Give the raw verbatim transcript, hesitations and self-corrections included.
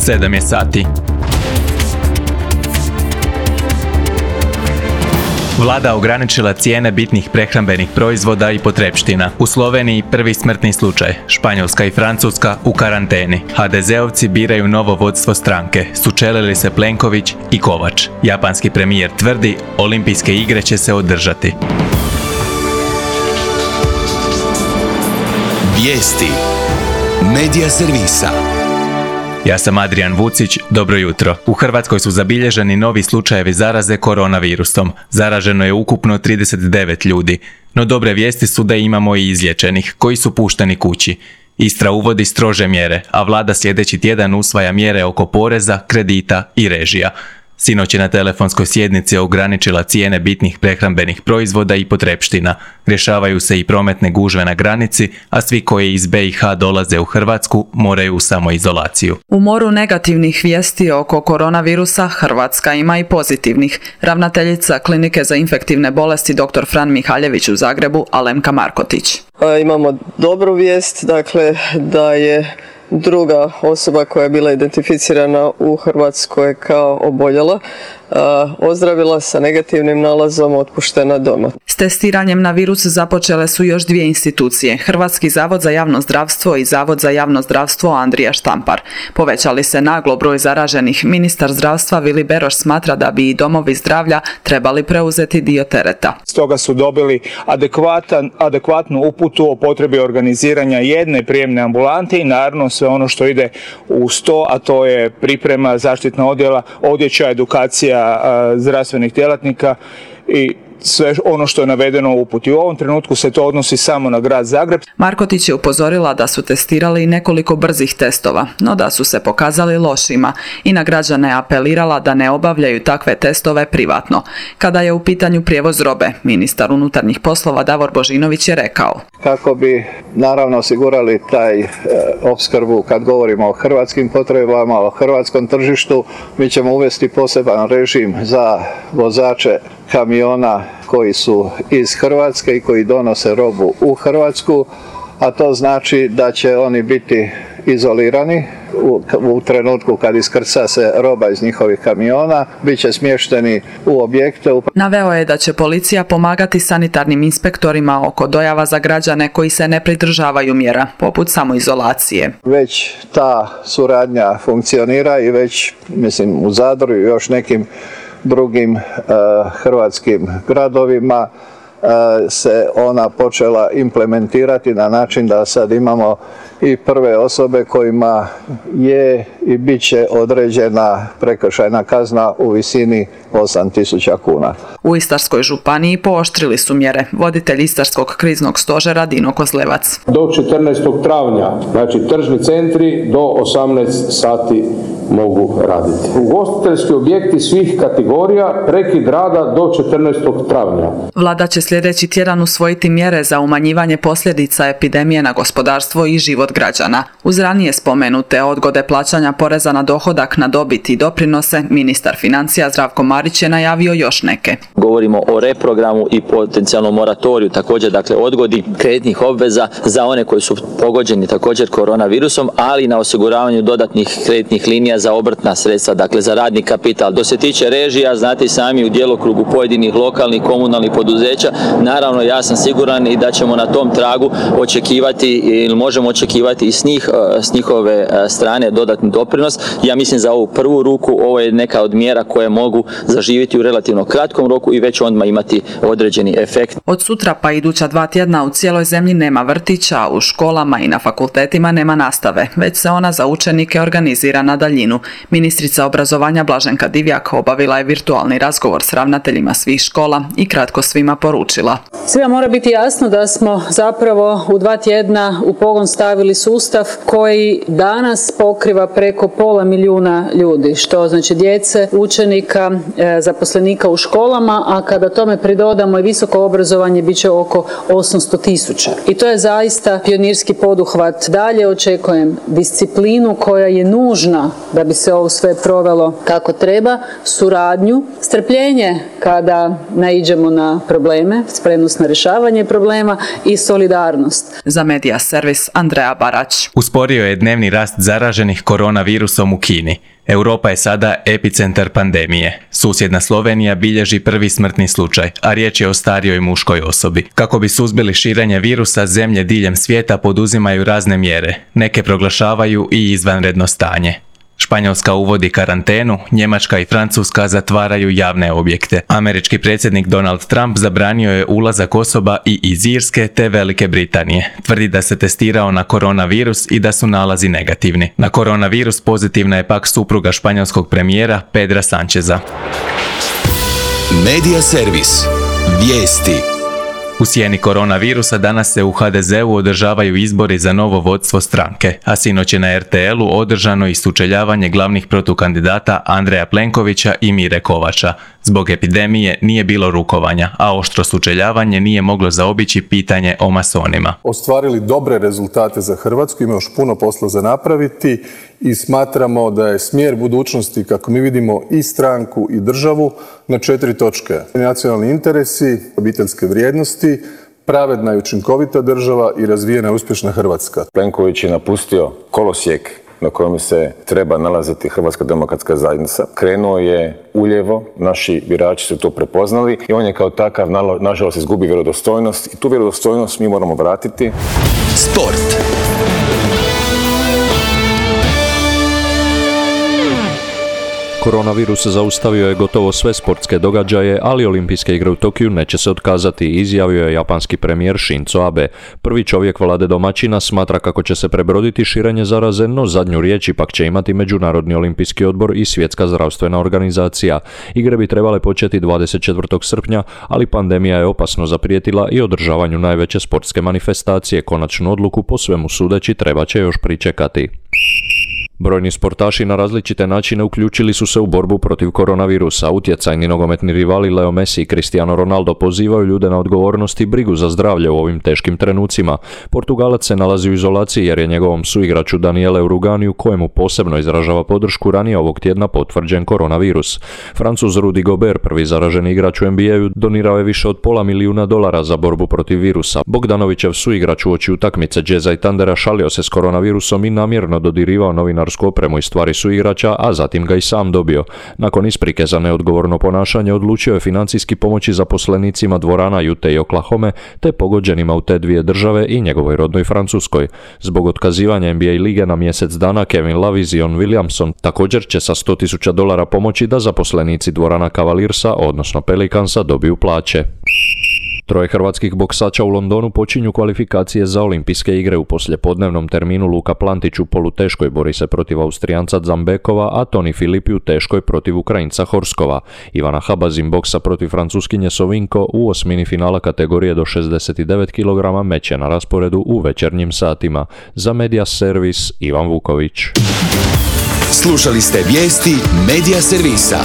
sedam je sati. Vlada ograničila cijene bitnih prehrambenih proizvoda i potrepština. U Sloveniji prvi smrtni slučaj. Španjolska i Francuska u karanteni. ha de zeovci biraju novo vodstvo stranke. Sučelili se Plenković i Kovač. Japanski premijer tvrdi, olimpijske igre će se održati. Vijesti Medija servisa. Ja sam Adrian Vucić, dobro jutro. U Hrvatskoj su zabilježeni novi slučajevi zaraze koronavirusom. Zaraženo je ukupno trideset devet ljudi. No dobre vijesti su da imamo i izliječenih, koji su pušteni kući. Istra uvodi strože mjere, a vlada sljedeći tjedan usvaja mjere oko poreza, kredita i režija. Sinoć je na telefonskoj sjednici ograničila cijene bitnih prehrambenih proizvoda i potrepština. Rješavaju se i prometne gužve na granici, a svi koji iz be i ha dolaze u Hrvatsku moraju u samoizolaciju. U moru negativnih vijesti oko koronavirusa Hrvatska ima i pozitivnih. Ravnateljica Klinike za infektivne bolesti dr. Fran Mihaljević u Zagrebu, Alemka Markotić. Imamo dobru vijest, dakle da je druga osoba koja je bila identificirana u Hrvatskoj kao oboljela, ozdravila sa negativnim nalazom, otpuštena doma. S testiranjem na virus započele su još dvije institucije, Hrvatski zavod za javno zdravstvo i Zavod za javno zdravstvo Andrija Štampar. Povećali se naglo broj zaraženih. Ministar zdravstva Vili Beroš smatra da bi i domovi zdravlja trebali preuzeti dio tereta. Stoga su dobili adekvatan, adekvatnu uputu o potrebi organiziranja jedne prijemne ambulante i naravno sve ono što ide uz to, a to je priprema, zaštitna odjela, odjeća, edukacija zdravstvenih djelatnika i sve ono što je navedeno u uputi. U ovom trenutku se to odnosi samo na grad Zagreb. Markotić je upozorila da su testirali nekoliko brzih testova, no da su se pokazali lošima i na građane apelirala da ne obavljaju takve testove privatno. Kada je u pitanju prijevoz robe, ministar unutarnjih poslova Davor Božinović je rekao: kako bi naravno osigurali taj e, opskrbu kad govorimo o hrvatskim potrebama, o hrvatskom tržištu, mi ćemo uvesti poseban režim za vozače kamiona koji su iz Hrvatske i koji donose robu u Hrvatsku, a to znači da će oni biti izolirani u, u trenutku kad iskrca se roba iz njihovih kamiona, bit će smješteni u objekte. Naveo je da će policija pomagati sanitarnim inspektorima oko dojava za građane koji se ne pridržavaju mjera, poput samoizolacije. Već ta suradnja funkcionira i već, mislim, u Zadru i još nekim drugim uh, hrvatskim gradovima uh, se ona počela implementirati na način da sad imamo i prve osobe kojima je i bit će određena prekršajna kazna u visini osam tisuća kuna. U Istarskoj županiji pooštrili su mjere. Voditelj Istarskog kriznog stožera Dino Kozlevac. Do četrnaestog travnja, znači tržni centri do osamnaest sati mogu raditi. Ugostiteljski objekti svih kategorija prekid rada do četrnaestog travnja. Vlada će sljedeći tjedan usvojiti mjere za umanjivanje posljedica epidemije na gospodarstvo i život građana. Uz ranije spomenute odgode plaćanja poreza na dohodak, na dobit i doprinose, ministar financija Zdravko Marić je najavio još neke. Govorimo o reprogramu i potencijalnom moratoriju, također dakle odgodi kreditnih obveza za one koji su pogođeni također koronavirusom, ali i na osiguravanju dodatnih kreditnih linija za obrtna sredstva, dakle za radni kapital. Do se tiče režija, znate i sami u djelokrugu pojedinih lokalnih komunalnih poduzeća, naravno ja sam siguran i da ćemo na tom tragu očekivati ili možemo očekivati i s njih, s njihove strane dodatni doprinos. Ja mislim za ovu prvu ruku ovo je neka od mjera koje mogu zaživjeti u relativno kratkom roku i već odmah imati određeni efekt. Od sutra pa iduća dva tjedna u cijeloj zemlji nema vrtića, u školama i na fakultetima nema nastave, već se ona za učenike organizira na daljinu. Ministrica obrazovanja Blaženka Divjak obavila je virtualni razgovor s ravnateljima svih škola i kratko svima poručila: svima mora biti jasno da smo zapravo u dva tjedna u pogon stavili sustav koji danas pokriva preko pola milijuna ljudi, što znači djece, učenika, zaposlenika u školama, a kada tome pridodamo i visoko obrazovanje bit će oko osamsto tisuća. I to je zaista pionirski poduhvat. Dalje očekujem disciplinu koja je nužna da bi se ovo sve provelo kako treba, suradnju, strpljenje kada naiđemo na probleme, spremnost na rješavanje problema i solidarnost. Za Medija servis Andreja Barać. Usporio je dnevni rast zaraženih koronavirusom u Kini. Europa je sada epicentar pandemije. Susjedna Slovenija bilježi prvi smrtni slučaj, a riječ je o starijoj muškoj osobi. Kako bi suzbili širenje virusa, zemlje diljem svijeta poduzimaju razne mjere. Neke proglašavaju i izvanredno stanje. Španjolska uvodi karantenu, Njemačka i Francuska zatvaraju javne objekte. Američki predsjednik Donald Trump zabranio je ulazak osoba i iz Irske te Velike Britanije. Tvrdi da se testirao na koronavirus i da su nalazi negativni. Na koronavirus pozitivna je pak supruga španjolskog premijera Pedra Sancheza. Medija servis. Vijesti. U sjeni koronavirusa danas se u ha de zeu održavaju izbori za novo vodstvo stranke, a sinoć je na er te elu održano i sučeljavanje glavnih protukandidata Andreja Plenkovića i Mire Kovača. Zbog epidemije nije bilo rukovanja, a oštro sučeljavanje nije moglo zaobići pitanje o masonima. Ostvarili dobre rezultate za Hrvatsku, ima još puno posla za napraviti i smatramo da je smjer budućnosti, kako mi vidimo, i stranku i državu na četiri točke. Nacionalni interesi, obiteljske vrijednosti, pravedna i učinkovita država i razvijena i uspješna Hrvatska. Plenković je napustio kolosijek na kojem se treba nalaziti Hrvatska demokratska zajednica. Krenuo je uljevo, naši birači su to prepoznali i on je kao takav, nažalost, izgubi vjerodostojnost i tu vjerodostojnost mi moramo vratiti. Sport. Koronavirus zaustavio je gotovo sve sportske događaje, ali olimpijske igre u Tokiju neće se otkazati, izjavio je japanski premijer Shinzo Abe. Prvi čovjek vlade domaćina smatra kako će se prebroditi širenje zaraze, no zadnju riječ ipak će imati Međunarodni olimpijski odbor i Svjetska zdravstvena organizacija. Igre bi trebale početi dvadeset četvrtog srpnja, ali pandemija je opasno zaprijetila i održavanju najveće sportske manifestacije. Konačnu odluku po svemu sudeći treba će još pričekati. Brojni sportaši na različite načine uključili su se u borbu protiv koronavirusa. Utjecajni nogometni rivali Leo Messi i Cristiano Ronaldo pozivaju ljude na odgovornost i brigu za zdravlje u ovim teškim trenucima. Portugalac se nalazi u izolaciji jer je njegovom suigraču Daniele Uruganiju, kojemu posebno izražava podršku, ranije ovog tjedna potvrđen koronavirus. Francuz Rudy Gobert, prvi zaraženi igrač u en be a-u, donirao je više od pola milijuna dolara za borbu protiv virusa. Bogdanovićev suigrač uoči utakmice Jazza i Thundera šalio se s koronavirusom i namjerno dodirivao novinar opremu i stvari su igrača, a zatim ga i sam dobio. Nakon isprike za neodgovorno ponašanje odlučio je financijski pomoći zaposlenicima dvorana Ute i Oklahome te pogođenima u te dvije države i njegovoj rodnoj Francuskoj. Zbog otkazivanja en be a lige na mjesec dana, Kevin Love i Zion Williamson također će sa sto tisuća dolara pomoći da zaposlenici dvorana Cavaliersa, odnosno Pelicansa, dobiju plaće. Troje hrvatskih boksača u Londonu počinju kvalifikacije za olimpijske igre. U poslijepodnevnom terminu Luka Plantić u poluteškoj bori se protiv Austrijanca Zambekova, a Toni Filipi u teškoj protiv Ukrajinca Horskova. Ivana Habazin boksa protiv Francuskinje Sovinko u osmini finala kategorije do šezdeset devet kilograma meće na rasporedu u večernjim satima. Za Medija servis Ivan Vuković. Slušali ste vijesti Medija servisa.